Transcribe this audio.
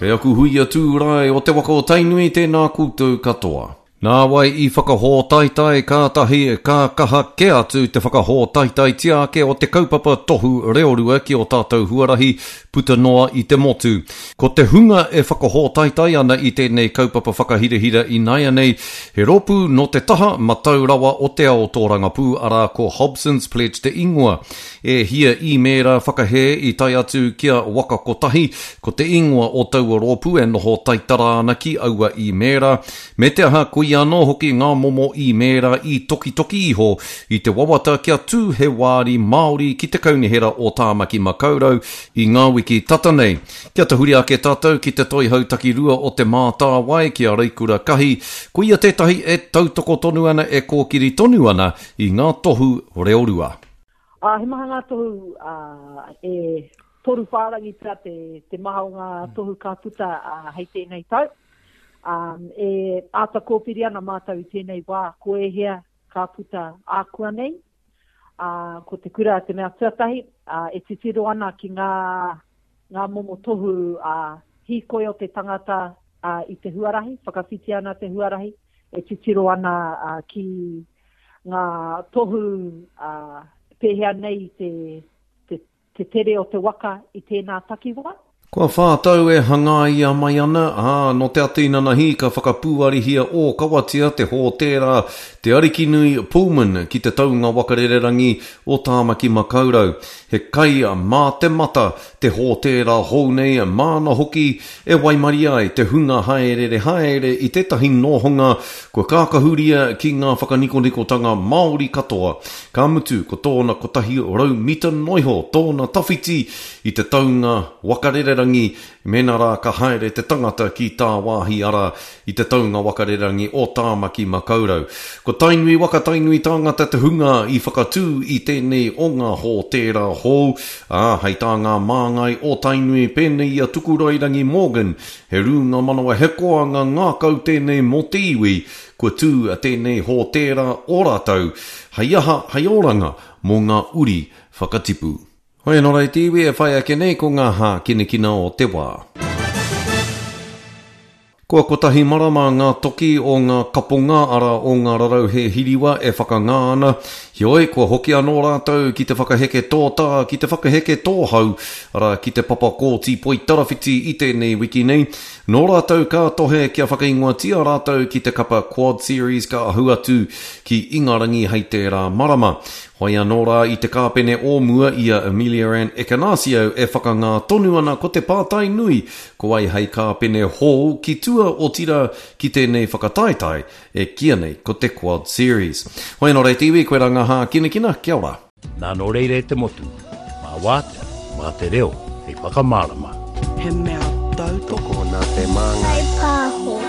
Kei aku huia tūrae o te waka o Tainui tēnā koutou katoa. Nāwai i whakahōtaetae kātahi ka kaha kē atu te whakahōtaetaetia ake o te kaupapa tohu reorua ki ō tātou huarahi puta noa i te motu. Ko te hunga e whakahōtaetae ana i tēnei kaupapa whakahirahira ināianei he rōpū nō te taha matau rawa o te ao tōrangapū arā ko Hobson's Pledge te ingoa. E hia īmēra whakahē i tae atu ki a Waka Kotahi, ko te ingoa o taua rōpū e noho taitara ana ki aua īmēra. Me te aha, koia anō hoki ngā momo īmēra i tokitoki iho i te wawata kia tū he wāri Māori ki te Kaunihera o Tāmaki Makaurau i ngā wiki tata nei. Kia tahuri ake tātou ki te toihau takirua o Te Mātāwai, ki a Reikura Kahi, koia tētahi e tautoko tonu ana, e kōkiri tonu ana i ngā tohu reorua. Ā, he maha ngā tohu, ā, e toru whārangi pea te, te maha o ngā tohu ka puta ā, hei tēnei tau. Ā, e āta kōwhiri ana mātou i tēnei wā ko ēhea ka puta ākuanei. Ā, ko te kura te mea tuatahi, ā, e titiro ana ki ngā, ngā momo tohu, ā, hīkoi o te tangata, ā, i te huarahi, whakawhiti ana te huarahi, e titiro ana, ā, ki ngā tohu, ā, pēhea nei te, te, te tere o te waka i tēnā takiwā. Kua whā tau e hangaia mai ana, ā, nō te ata inanahi ka whakapūarihia ōkawatia te hōtēra Te Arikinui Pullman ki te taunga waka rererangi o Tāmaki Makaurau. He kai mā te mata te hōtēra hou nei, māna hoki e waimarie ai te hunga hāereere haere i tētahi nōhonga kua kākahuria ki ngā whakanikonikotanga Māori katoa, ka mutu ko tōna 100 mita noiho tōna tawhiti i te taunga waka rererangi mēnā rā ka haere te tangata ki tāwāhi arā i te taunga waka rererangi o Tāmaki Makaurau. Ko Tainui waka, Tainui tāngata te hunga i whakatū i tēnei o ngā hōtēra hou, ā, hei tā ngā māngai o Tainui pēnei i a Tukurairangi Morgan, he rūnga manawa, he koanga ngākau tēnei mō te iwi, kua tū tēnei hōtēra o rātou, hei aha, hei oranga mō ngā uri whakatipu. Hoi anō rā e te iwi e whai ake nei ko ngā hākinakina o te wā. Kua kotahi marama ngā toki o ngā kaponga arā o ngā rarauhe hiriwa e whakangā ana, heoi kua hoki anō rātou ki te whakaheke tōtā, ki te whakaheke tōhau, arā ki te papa kōti poitarawhiti i tēnei wiki nei. Nō rātou ka tohe kia whakaingoatia rātou ki te kapa Quad Series ka ahu atu ki Ingarangi hei tērā marama. Hoi anō rā i te kāpene o mua i a Ameliaranne Ekenasio e whakangā tonu ana ko te pātai nui ko wai hei kāpene hou ki tua otirā ki tēnei whakataetae e kīia nei ko te Quad Series. Hoi anō rā e te iwi, koirā ngā hākinakina, kia ora. Nā nō reira e te motu, mā wātea, mā te reo hei whakamārama. He mea tautoko. Tokona te māngai. Whai pāho.